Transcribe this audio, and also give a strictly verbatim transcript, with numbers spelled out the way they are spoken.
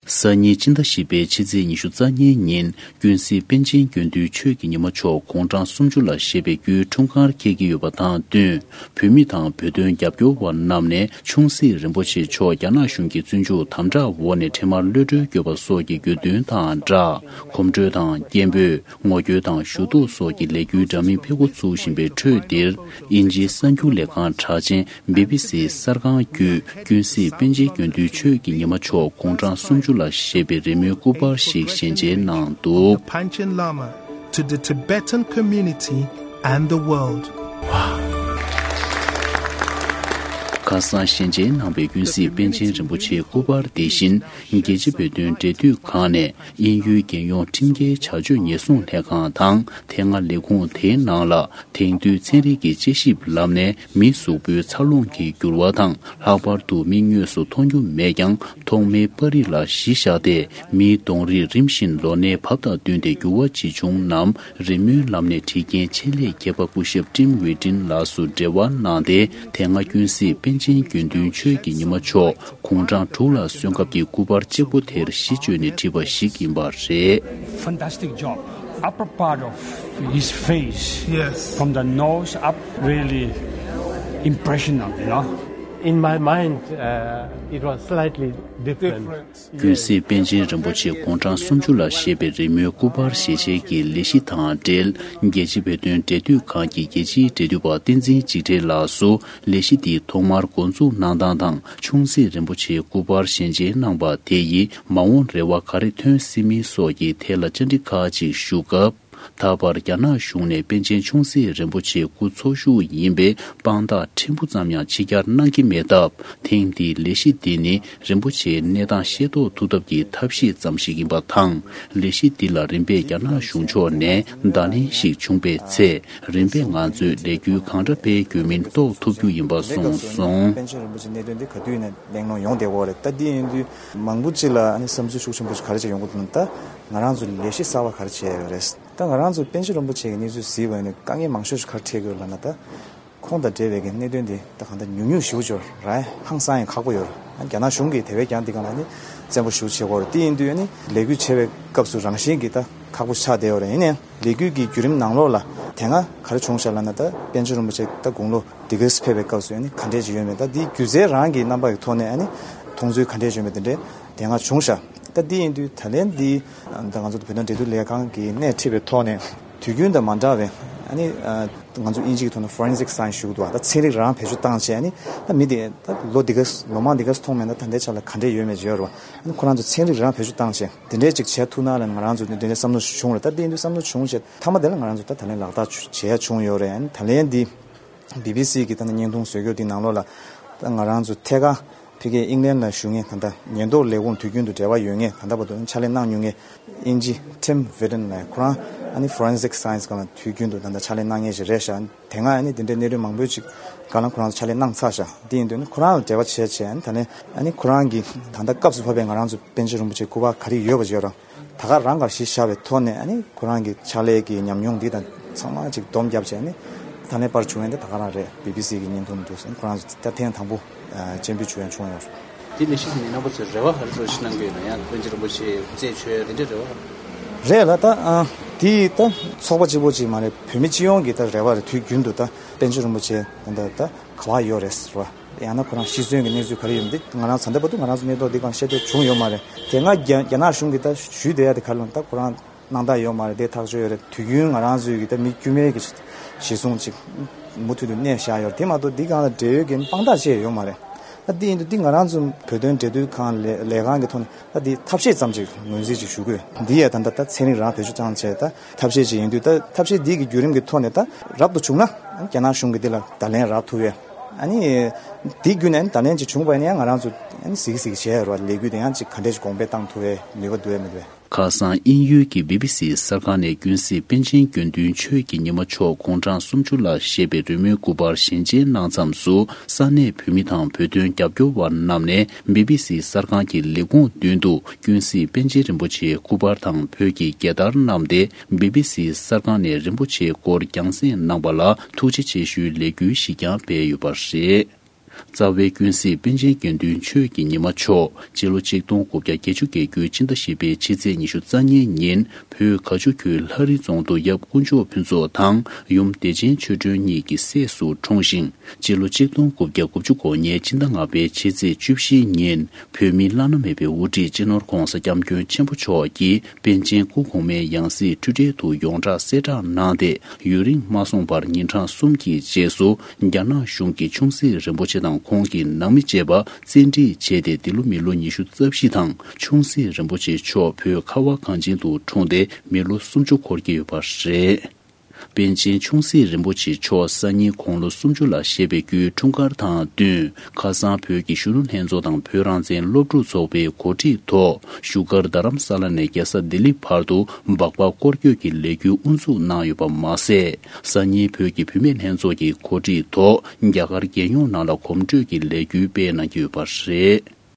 སང་ཉིན་སྤྱི་ཟླ་བཞི་པའི་ཕྱི་ཚེས་ཉི་ཤུ་རྩ་གཉིས་ཉིན། ཀུན་གཟིགས་པཎ་ཆེན་དགེ་འདུན་ཆོས་ཀྱི་ཉི་མ་མཆོག་དགུང་གྲངས་སུམ་ཅུ་ལ་བཞེས་པའི་རྒྱུའི་འཁྲུངས་སྐར་འཁེལ་གྱི་ཡོད་པ་དང་བསྟུན། བོད་མི་དང་བོད་དོན་རྒྱབ་སྐྱོར་བ་རྣམས་ནས་ཆུང་སྲིད་རིན་པོ་ཆེ་མཆོག་རྒྱ་ནག་གཞུང་གི་བཙོན་འཇུག་དམ་དྲག་འོག་ནས་འཕྲལ་མར་གློད་གྲོལ་དགོས་པ་སོགས་ཀྱི་དགོས་འདུན་དང་སྦྲགས། གོམ་བགྲོད་དང་སྐད་འབོད། ངོ་རྒོལ་དང་ཞུ་གཏུག་སོགས་ཀྱི་ལས་འགུལ་འདྲ་མིན་འཕེལ་འགོ་ཚུགས་བཞིན་པའི་ཁྲོད་འདིར། དབྱིན་ཇིའི་གསར་འགྱུར་ལས་ཁང་གྲགས་ཅན་བི་བི་སི་གསར་ཁང་བརྒྱུད། ཀུན་གཟིགས་པཎ་ཆེན་དགེ་འདུན་ཆོས་ཀྱི་ཉི་མ་མཆོག་དགུང་གྲངས་སུམ་ཅུ་ལ་བཞེས་པའི་རི་མོའི་སྐུ་པར་ཞིག་ཞལ་མཇལ་གནང་འདུག། Panchen Lama to the Tibetan community and the world. ཁ་སང་ཞལ་མཇལ་གནང་བའི་ཀུན་གཟིགས་པཎ་ཆེན་རིན་པོ་ཆེའི་སྐུ་པར་དེ་བཞིན། རྒྱལ་སྤྱིའི་བོད་དོན་འབྲེལ་མཐུད་ཁང་ནས། དབྱིན་ཡུལ་རྒྱལ་ཡོངས་ཁྲིམས་འགལ་བྱ་སྤྱོད་ཉེན་སྲུང་ལྷན་ཁང་དང་། དེ་སྔ་ལས་ཁུངས་དེའི་ནང་ལ། དེང་དུས་ཚན་རིག་གི་དཔྱད་ཞིབ་ལམ་ནས་མིའི་གཟུགས་པོའི་འཚར་ལོངས་ཀྱི་འགྱུར་བ་དང་། ལྷག་པར་དུ་མིག་དངོས་སུ་མཐོང་རྒྱུ་མེད་ཀྱང་། ཐོག་མའི་པར་རིས་ལ་གཞི་བཞག་སྟེ། མིའི་གདོང་རིས་རིམ་བཞིན་ལོ་ནའི་བབ་དང་བསྟུན་ཏེ་འགྱུར་བ་ཇི་བྱུང་རྣམས། རི་མོའི་ལམ་ནས་བྲིས་རྐྱེན་ཆེད་ལས་མཁས་པ་སྐུ་ཞབས་ཀྲིམ་ཝི་ཏིན་ལགས་སུ་འབྲེལ་བ་གནང་སྟེ། དེ་སྔ་ཀུན་གཟིགས་པཎ་ཆེན་དགེ་འདུན་ཆོས་ཀྱི་ཉི་མ་མཆོག་དགུང་གྲངས་དྲུག་ལ་སོན་སྐབས་ཀྱི་སྐུ་པར་གཅིག་པོ་དེར་གཞི་བཅོལ་ནས་བྲིས་པ་ཞིག་ཡིན་པ་རེད། Fantastic job. Upper part of his face, yes, from the nose up, really impressionable, you know. In my mind, uh, it was slightly different. ཀུན་གཟིགས་པཎ་ཆེན་རིན་པོ་ཆེ་དགུང་གྲངས་སུམ་ཅུ་ལ་བཞེས་པའི་རི་མོའི་སྐུ་པར་ཞལ་མཇལ་གྱི་ལས་གཞི་དང་འབྲེལ། རྒྱལ་སྤྱིའི་བོད་དོན་འབྲེལ་མཐུད་ཁང་གི་རྒྱལ་སྤྱིའི་འབྲེལ་མཐུད་པ་བསྟན་འཛིན་འཇིགས་བྲལ་ལགས་སུ། ལས་གཞི་འདི་ཐོག་མར་འགོ་འཛུགས་གནང་སྟངས་དང་། ཆུང་སྲིད་རིན་པོ་ཆེའི་སྐུ་པར་ཞལ་མཇལ་གནང་བ་དེ་ཡིས་མ་འོངས་རེ་བ་ག་རེ་ཐོན་སྲིད་མིན་སོགས་ཀྱི་ཐད་ལ་བཅར་འདྲི་ཁག་ཅིག་ཞུ་སྐབས། ད་བར་རྒྱ་ནག་གཞུང་ནས་པཎ་ཆེན་ཆུང་སྲིད་རིན་པོ་ཆེའི་སྐུ་འཚོ་བཞུགས་ཡིན་པས། དཔང་རྟགས་ཕྲན་བུ་ཙམ་ཡང་ཕྱི་གྱར་གནང་གི་མེད་སྟབས། ཐེངས་འདིའི་ལས་གཞི་འདི་ནི། རིན་པོ་ཆེའི་གནས་སྟངས་ཤེས་རྟོགས་ཐུབ་ཐབས་ཀྱི་ཐབས་ཤེས་ཙམ་ཞིག་ཡིན་པ་དང་། ལས་གཞི་འདི་ལ་རིམ་པས་རྒྱ་ནག་གཞུང་ཕྱོགས་ནས་བརྡ་ལན་ཞིག་བྱུང་པའི་ཚེ། རིམ་པས་ང་ཚོས་ལས་འགུལ་གང་འདྲ་སྤེལ་དགོས་མིན་རྟོགས་ཐུབ་རྒྱུ་ཡིན་པ་གསུངས་སོང་། པཎ་ཆེན་རིན་པོ་ཆེའི་གནད་དོན་འདི་ག་དུས་ནས་གླེང་སློང་ཡོང་བསྡད་ཡོད་རེད། ད་འདི་ཡིན་དུས་མང་པོ་ཅིག་ལ་ཨ་ནི་བསམ་ཚུལ་ཤུགས་ཆེན་པོ་ཞིག་ག་རེ་བྱས་ཡོང་གི་འདུག་ན། ད་ང་རང་ཚོ་ལས་གཞི་གསར་པ་ག་རེ་བྱས་ཡོད་རེད། ད་ང་རང་ཚོ་པཎ་ཆེན་རིན་པོ་ཆེ་གི་གནས་ཚུལ་གཟིགས་པ་ཡིན་ན་དཀའ་ངལ་མང་ཤོས་ཤིག་ག་རེ་འཕྲད་ཀྱི་ཡོད་ལབ་ན། ད་ཁོང་དང་འབྲེལ་བའི་གི་གནད་དོན་དེ་ད་གང་ལྟར་ཉུང་ཉུང་ཞེ་པོ་ཅིག་ཡོད་རེད། ཧང་སང་ཡང་ཁག་པོ་ཡོད་རེད། རྒྱ་ནག་གཞུང་གིས་དེ་བས་ཀྱང་འདི་སྒང་ལ་ནི་བཙན་པོ་ཞེ་པོ་བྱེད་ཀྱི་ཡོད་རེད། དེ་ཡིན་དུས་ནི་ལས་འགུལ་བྱེད་པའི་སྐབས་སུ་རང་བཞིན་གྱིས་ད་ཁག་པོ་ཆགས་བསྡད་ཡོད་རེད། ཡིན་ནའང་ལས་འགུལ་གྱི་བརྒྱུད་རིམ་ནང་ལོགས་ལ་དེ་སྔ་ག་རེ་བྱུང་ཤག་ལབ་ན། ད་པཎ་ཆེན་རིན་པོ་ཆེ་ད་དགུང་ལོ་འདི་ག་ཙམ་ཕེབས་པའི་སྐབས་སུ་ནི་ག་འདྲས་ཅིག་ཡོད་མེད། ད་འདི་སྒྱུ་རྩལ་རང་གི་རྣམ་པ་ཡི་ཐོག་ནས་ཨ་ནི་མཐོང་ཚུལ་ག་འདྲས་བྱུང་མེད་དེ་འདྲས་དེ་སྔ་བྱུང་ཤག། ད་འདི་ཡིན་དུས་ད་ལན་འདི་ད་ང་ཚོ་བོད་དོན་འབྲེལ་མཐུད་ལས་ཁང་གིས་སྣེ་ཁྲིད་པའི་ཐོག་ནས་དུས་རྒྱུན་དང་མ་འདྲ་བའི་ཨ་ནི་ང་ཚོ་དབྱིན་ཇི་གི་ཐོག་ནས་forensic science ཞུ་གི་འདུག་བ། ད་ཚན་རིག་རང་བེད་སྤྱོད་བཏང་བྱས། ཨ་ནི་ད་མི་དེ་ད་ལོ་འདི་ག་ལོ་མང་འདི་ག་མཐོང་མེད་ན། ད་ལྟའི་ཆ་ལ་ག་འདྲས་ཡོད་མེད་ཅིག་ཡོད་རེད་བ། ཨ་ནི་ཁོ་རང་ཚོ་ཚན་རིག་རང་བེད་སྤྱོད་བཏང་བྱས་དེ་འདྲས་ཅིག་བྱས་ཐུབ་ན་ལབ་ནས་ང་རང་ཚོ་དེ་འདྲས་བསམ་བློ་ཞིག་བྱུང་རེད། ད་དེ་ཡིན་དུས་བསམ་བློ་བྱུང་བྱས་མཐའ་མ་དེ་ལ་ང་རང་ཚོ་ད་ད་ལན་ལག་བསྟར་བྱེད་ཡ་བྱུང་ཡོད་རེད། ཨ་ནི་ད་ལན་འདི་བི་བི་སི་གི་ད་ནི་བརྙན་ཐུང་བཟོ་རྒྱུ་དེ་ནང་ལོགས་ལ་ད་ང་རང་ཚོ་ཐད་ཀར་ཕ་གིའི་ཨིང་ལན་ལ་བཞུགས་མཁན་ད་ལྟ་ཉེན་རྟོག་ལས་ཁུངས་དུས་རྒྱུན་དུ་འབྲེལ་བ་ཡོད་མཁན། ད་ལྟ་བར་དུ་ཕྱག་ལས་གནང་མྱོང་མཁན་དབྱིན་ཇི་Tim Witten ལགས། ཁོ་རང་ཨ་ནི་forensic science སྒང་ལ་དུས་རྒྱུན་དུ་ད་ལྟ་ཕྱག་ལས་གནང་མཁན་ཞིག་རེད་ཤག། དེ་སྔ་ཨ་ནི་དེ་འདྲའི་གནད་དོན་མང་པོ་ཅིག་སྒང་ལ་ཁོ་རང་ཚོ་ཕྱག་ལས་གནང་ཚར་ཤག། དེ་ཡིན་དུས་ནི་ཁོ་རང་ལ་འབྲེལ་བ་བྱས་བྱས། ཨ་ནི་ད་ལན་ཨ་ནི་ཁོ་རང་གིས་ད་ལྟ་སྐབས་སུ་བབས་པའི་ང་རང་ཚོ་པཎ་ཆེན་རིན་པོ་ཆེའི་སྐུ་པར་ག་རེ་ཡོད་པ་ཅིག་ཡོད་རང་ད་ག་རང་ག་གཞི་བཞག་པའི་ཐོག་ནས། ཨ་ནི་ཁོ་རང་གི་ཕྱག་ལས་ཀྱི་ཉམས་མྱོང་འདི་དང་ཚང་མ་ཅིག་སྡོམ་བརྒྱབ་བྱས། ཨ་ནི་ད་ལན་པར་བྱུང་བ་འདི་ད་ག་རང་རེད། བི་བི་སི་གི་བརྙན་ཐུང་འདུག་ཟེར། ཁོ་རང་ཚོ་ད་ཐེངས་དང་པོ་ཨ་སྤྱན་འབུལ་ཞུ་ཡ་བྱུང་ཡོད་རེད། དེ་ལས་གཞི་དེ་ནི་རྣམ་པ་ཚོས་རེ་བ་ག་རེ་འདྲ་ཞིག་གནང་གི་ཡོད་ན། ཡང་པཎ་ཆེན་རིན་པོ་ཆེ་རྩད་ཆོད་ཡ་དེ་འདྲའི་རེ་བ། རེད་ལ། ད་ཨ་དེ་ད་ཚོགས་པ་གཅིག་པོ་གཅིག་མ་རེད། བོད་མི་སྤྱི་ཡོངས་ཀྱི་ད་རེ་བ་རེད། དུས་རྒྱུན་དུ་ད་པཎ་ཆེན་རིན་པོ་ཆེ་ད་ད་ག་པར་ཡོད་རེད་ཟེར་བ། ཡང་ན་ཁོ་རང་ཤི་གསོན་གྱི་གནས་ཚུལ་ག་རེ་ཡོད་མེད་དེ་ང་རང་ད་ལྟ་བར་དུ་ང་རང་ཚོ་གནས་ཐོག་འདི་སྒང་ཤེས་རྟོགས་བྱུང་ཡོད་མ་རེད། དེ་སྔ་རྒྱ་རྒྱ་ནག་གཞུང་གིས་ད་ཞུས་བསྡད་ཡ་དེ་ག་རེ་ལབ་ན། ད་ཁོ་རང་སྣང་དག་ཡོད་མ་རེད། དེ་ཐག་ཆོད་ཡོད་རེད། དུས་རྒྱུན་ང་རང་ཚོའི་གི་ད་མི་དཀྱུས་མའི་གི་གཞི་བཟུང་ཅིག་མུ་མཐུད་དུ་གནས་བཞག་ཡོད་རེད། དེ་མ་གཏོགས་འདི་སྒང་ལ་འབྲེལ་ཡོད་ཀྱི་དཔང་རྟགས་བཅས་ཡོད་མ་རེད། ད་འདི་ཡིན་དུས་འདི་ང་རང་ཚོ་བོད་དོན་འབྲེལ་མཐུད་ཁང་ལས་ལས་ཁང་གི་ཐོག་ནས་ད་འདི་ཐབས་ཤེས་ཙམ་ཅིག་ངོས་འཛིན་ཅིག་ཞུ་དགོས། འདི་ཡ་ད་ལྟ་ད་ཚན་རིག་རང་བེད་སྤྱོད་བཏང་བྱས་ད་ཐབས་ཤེས་ཅིག་ཡིན་དུས། ད་ཐབས་ཤེས་འདི་གི་བརྒྱུད་རིམ་གྱི་ཐོག་ནས་ད་རབ་ཏུ་བྱུང་ན་རྒྱ་ནག་གཞུང་གིས་འདི་ལ་བརྡ་ལན་རག་ཐུབ་ཡས། ཨ་ནི་འདི་བརྒྱུད་ནས་བརྡ་ལན་ཅིག་བྱུང་བ་ཡིན་ན་ཡང་ང་རང་ཚོ་ཨ་ནི་གཟིགས་གཟིགས་བྱས་ཡོད་རེད་བ། ལས་འགུལ་དེ་ཡང་ཅིག་ག་འདྲས་ཅིག་གོང་འཕེལ་བཏང་ཐུབ་ཡས་ནུས་པ་འདུག་ཡས་མི་འདུག་ཡས། ཁ་སང་དབྱིན་ཡུལ་གྱི་བི་བི་སི་གསར་ཁང་ནས་ཀུན་གཟིགས་པཎ་ཆེན་དགེ་འདུན་ཆོས་ཀྱི་ཉི་མ་མཆོག་དགུང་གྲངས་སུམ་ཅུ་ལ་བཞེས་པའི་རི་མོའི་སྐུ་པར་ཞལ་མཇལ་གནང་མཚམས་སུ། ས་གནས་བོད་མི་དང་བོད་དོན་རྒྱབ་སྐྱོར་བ་རྣམས་ནས་བི་བི་སི་གསར་ཁང་གི་ལས་ཁུངས་མདུན་དུ་ཀུན་གཟིགས་པཎ་ཆེན་རིན་པོ་ཆེའི་སྐུ་པར་དང་བོད་ཀྱི་རྒྱལ་དར་བསྣམས་ཏེ། བི་བི་སི་གསར་ཁང་ནས་རིན་པོ་ཆེའི་སྐོར་རྒྱང་སྲིང་གནང་བ་ལ་ཐུགས་རྗེ་ཆེ་ཞུའི་ལས་འགུལ་ཞིག་ཀྱང་སྤེལ་ཡོད་པ་རེད། རྩ་བའི་ཀུན་གཟིགས་པཎ་ཆེན་དགེ་འདུན་ཆོས་ཀྱི་ཉི་མ་མཆོག་སྤྱི་ལོ་ཆིག་སྟོང་དགུ་བརྒྱ་བརྒྱད་ཅུ་གྱ་དགུ་སྤྱི་ཟླ་བཞི་པའི་ཕྱི་ཚེས་ཉི་ཤུ་རྩ་གཉིས་ཉིན་བོད་དགའ་ཆུ་ཁུལ་ལྷ་རི་རྫོང་དུ་ཡབ་དཀོན་མཆོག་ཕུན་ཚོགས་དང་ཡུམ་བདེ་ཆེན་ཆོས་སྒྲོན་གཉིས་ཀྱི་སྲས་སུ་འཁྲུངས་ཤིང་། སྤྱི་ལོ་ཆིག་སྟོང་དགུ་བརྒྱ་དགུ་བཅུ་གོ་གཉིས་སྤྱི་ཟླ་ལྔ་པའི་ཕྱི་ཚེས་བཅུ་བཞི་ཉིན་བོད་མིའི་བླ་ན་མེད་པའི་དབུ་ཁྲིད་སྤྱི་ནོར་ྋགོང་ས་ྋསྐྱབས་མགོན་ཆེན་པོ་མཆོག་གིས་པཎ་ཆེན་སྐུ་གོང་མའི་ཡང་སྲིད་འཁྲུལ་བྲལ་དུ་ཡོངས་གྲགས་གསལ་བསྒྲགས་གནང་སྟེ། ཡུན་རིང་མ་སོང་བར་ཉིན་གྲངས་གསུམ་གྱི་རྗེས་སུ་རྒྱ་ནག་གཞུང་གིས་ཆུང་སྲིད་རིན་པོ་ཆེ་དང་ཁོང་གི་ནང་མི་བཅས་པ་བཙན་ཁྲིད་བྱས་ཏེ། འདི་ལོ་མི་ལོ་ཉི་ཤུ་རྩ་བཞི་དང་། ཆུང་སྲིད་རིན་པོ་ཆེ་མཆོག་བོད་ཁ་བ་གངས་ཅན་དུ་འཁྲུངས་ཏེ་མི་ལོ་སུམ་ཅུ་འཁོར་གྱི་ཡོད་པ་རེད། པཎ་ཆེན་ཆུང་སྲིད་རིན་པོ་ཆེ་མཆོག་སང་ཉིན་དགུང་ལོ་སུམ་ཅུ་ལ་བཞེས་པའི་རྒྱུའི་འཁྲུངས་སྐར་དང་བསྟུན། ཁ་སང་བོད་ཀྱི་གཞོན་ནུ་ལྷན་ཚོགས་དང་བོད་རང་བཙན་སློབ་ཕྲུག་ཚོགས་པའི་གོ་སྒྲིག་ཐོག་བཞུགས་སྒར་རྡ་རམ་ས་ལ་ནས་རྒྱལ་ས་ལྡི་ལི་བར་དུ་སྦག་སྦག་སྐོར་སྐྱོད་ཀྱི་ལས་འགུལ་དབུ་འཛུགས་གནང་ཡོད་པ་མ་ཟད། སང་ཉིན་བོད་ཀྱི་བུད་མེད་ལྷན་ཚོགས་ཀྱི་གོ་སྒྲིག་ཐོག་རྒྱ་གར་རྒྱལ་ཡོངས་ནང་ལ་གོམ་བགྲོད་ཀྱི་ལས་འགུལ་སྤེལ་གནང་གི་ཡོད་པ་རེད།